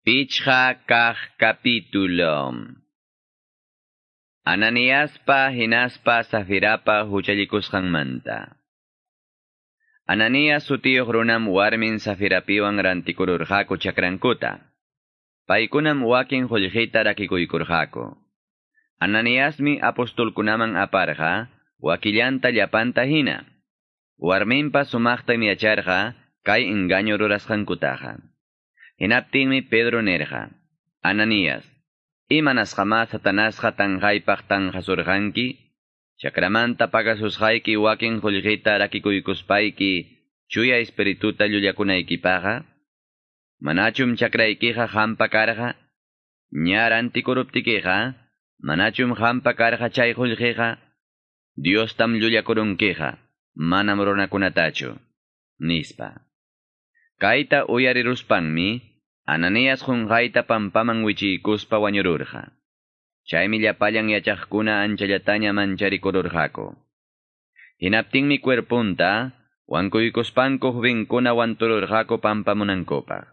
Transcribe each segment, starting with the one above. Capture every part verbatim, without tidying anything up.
Pichqa kaq capítulo. Ananiaspa hinaspa Safirapa huchallikusqanmanta. Ananías sutiyuq runam warmin Safirapiwan rantikururqaku chakrankuta. Paykunam wakin qullqita rakikuykurqaku. Ananiasmi apostolkunaman aparqa wakillanta llapanta hina. Warminpa sumaqtam yacharqa kay engaño rurasqankutaqa. Hinaptinmi Pedro nirqa, Ananías, imanasqamá Satanasqa tanqaypaq tanqasurqanki? Chakramanta pagasusqayki wakin qullqita rakikuykuspayki chuya espirituta llullakunaykipaqqa? Manachum chakraykiqa qampa karqa? Ña rantikuruptikiqa, manachum qampa karqa chay qullqiqa? Diostam llullakurunkiqa, manam runakunatachu, nispa. Kayta uyariruspanmi, Ananías qunqayta pampaman wichiykuspa wañururqa. Chaymi llapallan yachaqkuna anchallataña mancharikururqaku. Hinaptinmi cuerpunta, wankuykuspanku jovenkuna wantururqaku pampamunankupaq.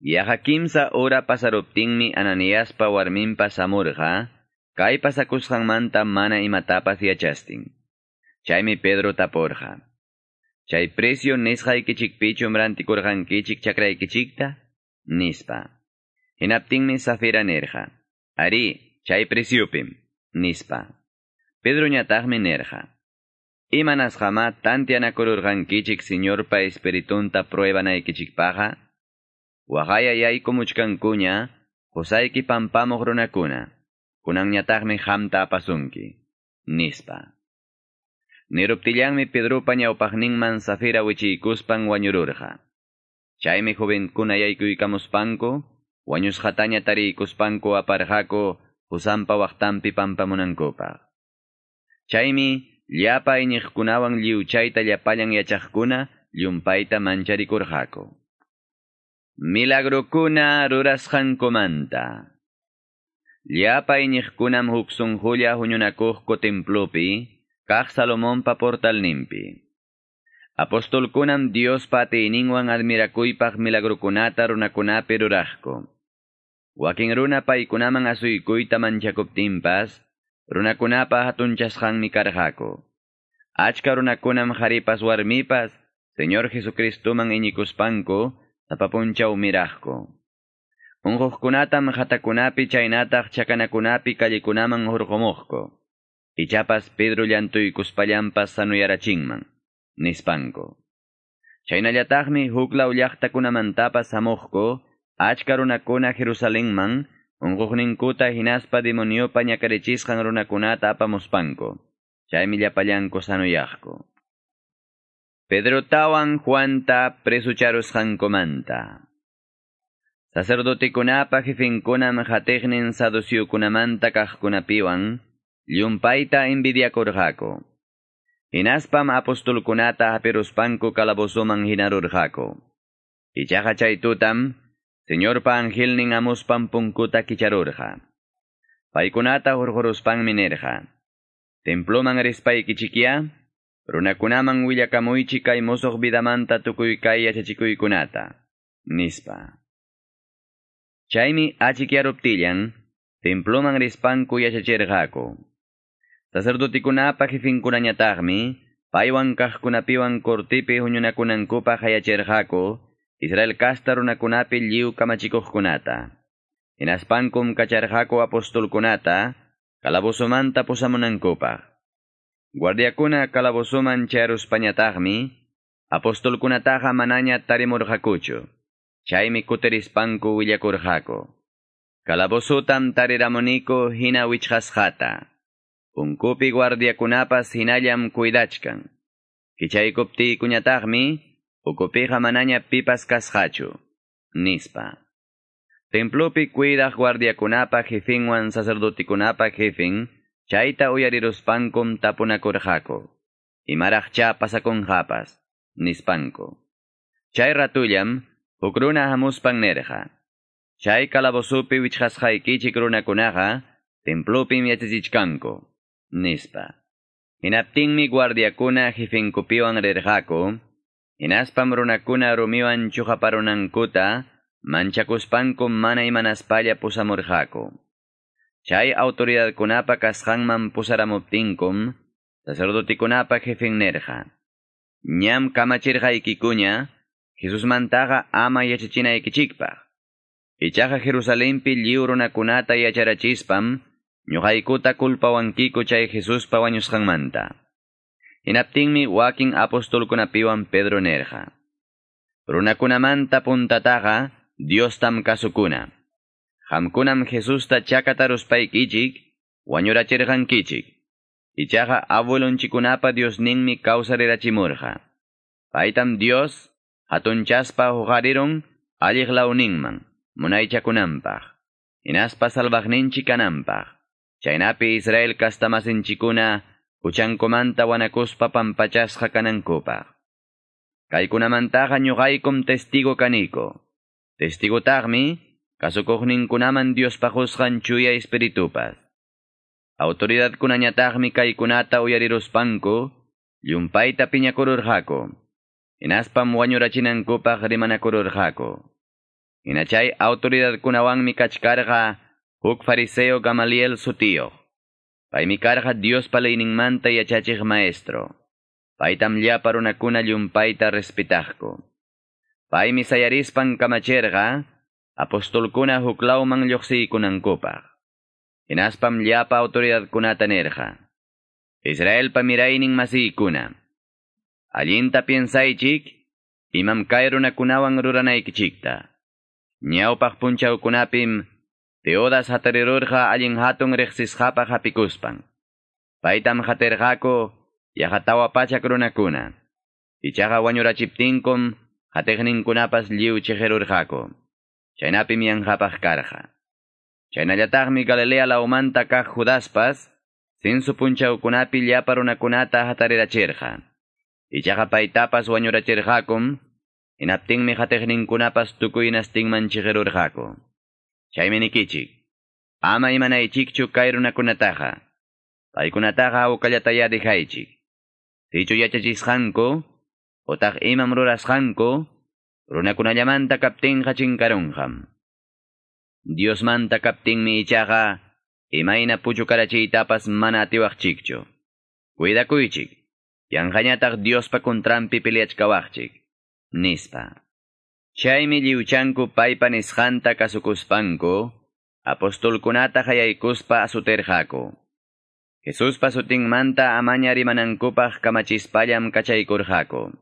Yaqa kimsa hora pasaruptinmi Ananiaspa warminpas hamurqa, kay pasakusqanmanta mana imatapas yachastin. Chaymi Pedro tapurqa. Chay precio nisqaykichikpichum rantikurqankichik chakraykichikta? Nispa. Hinaptinmi Safira nirqa. Arí, chay preciopim, nispa. Pedroñataqmi nirqa. Imanasqamá tantianakururqankichik Señorpa espiritunta pruebanaykichikpaqqa? Waqaya yaykumuchkankuña, qusayki pampamuq runakuna, kunanñataqmi qamta apasunki, nispa. Niruptillanmi Pedropa ñawpaqninman Safira wichiykuspan wañururqa. Chaymi jovenkuna yaykuykamuspanku, wañusqataña tariykuspanku aparqaku qusanpa waqtanpi pampamunankupaq. Chaymi llapa iñiqkunawan lliwchayta llapallan yachaqkuna llumpayta mancharikurqaku. Milagrokuna rurasqankumanta. Llapa iñiqkunam huk sunqulla huñunakuqku templopi, kaq Salomonpa portalninpi. Apostolkunam Diospa atiyninwan admirakuypaq milagrokunata runakunapi ruraqku. Wakin runa paykunaman asuykuyta manchakuptinpas, runakunapa hatunchasqanmi karqaku. Achka runakunam qharipas warmipas, Señor Jesucristoman iñikuspanku, sapa punchaw miraqku. Unquqkunatam qhatakunapi chaynataq chakanakunapi callekunaman hurqumuqku. Ichapas Pedro llantuykuspallanpas sanuyarachinman, nispanku. Chaynallataqmi huklaw llaqtakunamantapas hamuqku, achka runakuna Jerusalenman, unquqninkuta hinaspa demoniopa ñakarichisqan runakunata apamuspanku. Chaymi llapallanku sanuyaqku. Pedrotawan Juanta presucharusqankumanta. Sacerdotekunapa jefenkunam qatiqnin saduceokunamanta kaqkunapiwan, llumpayta envidiakurqaku. Hinaspam apostolkunata hapiruspanku calabozoman hinarurqaku. Ichaqa chay tutam, Señorpa angelnin hamuspan punkuta kicharurqa. Paykunata hurquruspanmi nirqa. Temploman rispaykichikya, runakunaman willakamuychik kay musuq vidamanta tukuy kay yachachikuykunata, nispa. Chaymi achikyaruptillan, temploman rispanku yachachirqaku. Sacerdotekunapa jefenkunañataqmi, paywan kaqkunapiwan cortepi huñunakunankupaq hayachirqaku, Israel kasta runakunapi lliw kamachikuqkunata. Hinaspankum kacharqaku apostolkunata, calabozomanta pusamunankupaq. Guardiakuna calabozoman chayaruspañataqmi, apostolkunataqa manaña tarimurqakuchu. Chaymi kutirispanku willakurqaku. Calabozotam tariramuniku hina wichqasqata. Punkupi guardiakunapas hinallam cuidachkan. Kichaykuptiykuñataqmi, ukupiqa manaña pipas kasqachu, nispa. Templopi cuidaq guardiakunapa jefenwan sacerdotekunapa jefen, chayta uyariruspankum tapunakurqaku. Imaraqcha pasakunqapas, nispanku. Chay ratullam, huk runa hamuspan nirqa. Chay calabozopi wichqasqaykichik runakunaqa, templopim yachachichkanku, nispa. Hinaptinmi guardiakuna jefenkupiwan rirqaku, hinaspam runakuna rumiwan chuqaparunankuta, manchakuspankum mana imanaspalla pusamurqaku. Chay autoridadkunapa kasqanman pusaramuptinkum, sacerdotekunapa jefen nerqa: Ñam kamachirqaykikuña, Jesusmantaqa ama yachachinaykichikpaq. Ichaqa Jerusalenpi lliw runakunata yacharachispam, ñuqaykuta culpawankiku chay Jesuspa wañusqanmanta. Hinaptinmi wakin apostolkunapiwan Pedro nerqa: Runakunamanta puntataqa Diostam kasukuna. Qamkunam Jesusta chakataruspaykichik, wañurachirqankichik. Ichaqa abuelonchikunapa Diosninmi kawsarirachimurqa. Paytam Dios hatunchaspa huqarirun alliq lawninman, munaychakunanpaq, hinaspa salvaqninchik kananpaq. Chaynapi Israel kastamasinchikuna huchankumanta wanakuspa pampachasqa kanankupaq. Kaykunamantaqa ñuqaykum testigo kaniko. Testigotaqmi kasukuqninkunaman Diospa qusqan chuya espiritupas. Autoridadkunañataqmi kaykunata uyariruspanku, llumpayta piñakururqaku. Hinaspam wañurachinankupaq rimanakururqaku. Hina chay autoridadkunawanmi kachkarqa huk fariseo Gamaliel sutiyuq. Paymi karqa Diospa leyninmanta yachachiq maestro. Paytam llapa runakuna llumpayta respetaqku. Paymi sayarispan kamachirqa, apostolkuna huklawman lluqsiykunankupaq. Hinaspam llapa autoridadkunata nirqa: Israelpa miraynin masiykuna, allinta piensaychik, imam kay runakunawan ruranaykichikta. Ñawpaq punchawkunapim Teodas hatarirurqa allin hatun riqsisqapaq hapikuspan. Paytam qatirqaku yaqa tawa pachak runakuna. Ichaqa wañurachiptinkum qatiqninkunapas lliw chiqirurqaku. Chaynapim yanqapaq karqa. Chaynallataqmi Galilea lawmanta kaq Judaspas censo punchawkunapi llapa runakunata hatarirachirqa. Ichaqa paytapas wañurachirqakum, hinaptinmi qatiqninkunapas tukuy hinastinman chiqirurqaku. Chaymi nikichik, ama imanaychikchu kay runakunataqa. Paykunataqa hawkallatayá dejaychik. Sichu yachachisqanku, otaq imam rurasqanku, runakunallamanta kaptinqa chinkarunqam. Diosmanta kaptinmi ichaqa, imayna puchukarachiytapas mana atiwaqchikchu. Cuidakuychik, yanqañataq Diospa kontranpi peleachkawaqchik, nispa. Chaymi lliwchanku paypa nisqanta kasukuspanku, apostolkunata qayaykuspa asutirqaku. Jesuspa sutinmanta amaña rimanankupaq kamachispallam kachaykurqaku.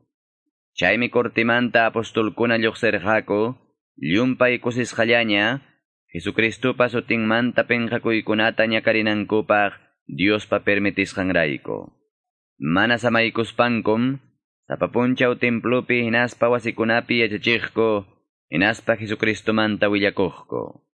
Chaymi cortimanta apostolkuna lluqsirqaku, llumpay kusisqallaña, Jesucristupa sutinmanta penqakuykunata ñakarinankupaq Diospa permitisqanrayku. Mana samaykuspankum, sapa punchaw templopi hinaspa wasikunapi yachachiqku, hinaspa Jesucristomanta willakuqku.